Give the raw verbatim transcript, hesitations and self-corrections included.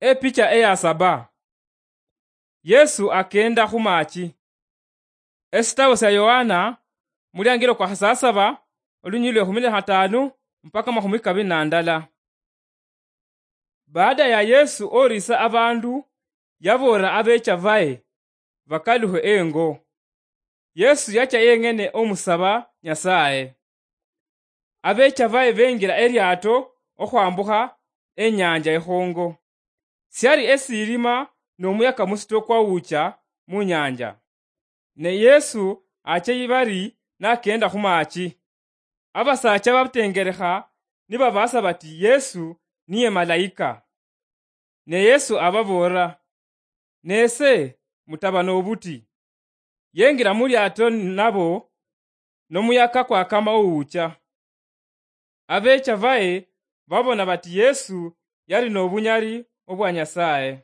Epicha eya saba. Yesu akenda khu machi. Esitabo sya Yohana, muliangilo kwa khasasaba, olunyili lwe khumi na khatanu mpaka makhumi kabili na ndala. Baada ya Yesu orisa abandu, yaboolera abecha baye bakalukhe engo. Yesu yacha yeng'ene omusaba Nyasaye. Abecha baye bengira eliato okhwambukha enyanja ekhongo. Syali esilima nomuyaka musito kwawucha munyanja. Ne Yesu acha ibari nakenda khumachi. Abasacha batengerekha nibabasa bati Yesu niye malaika. Ne Yesu ababoolera, "Nese mutaba nobuti." Yengira muliato nabo, nomuyaka kwakama owucha. Abecha baye babona bati Yesu yali nobunyali obwa Nyasaye.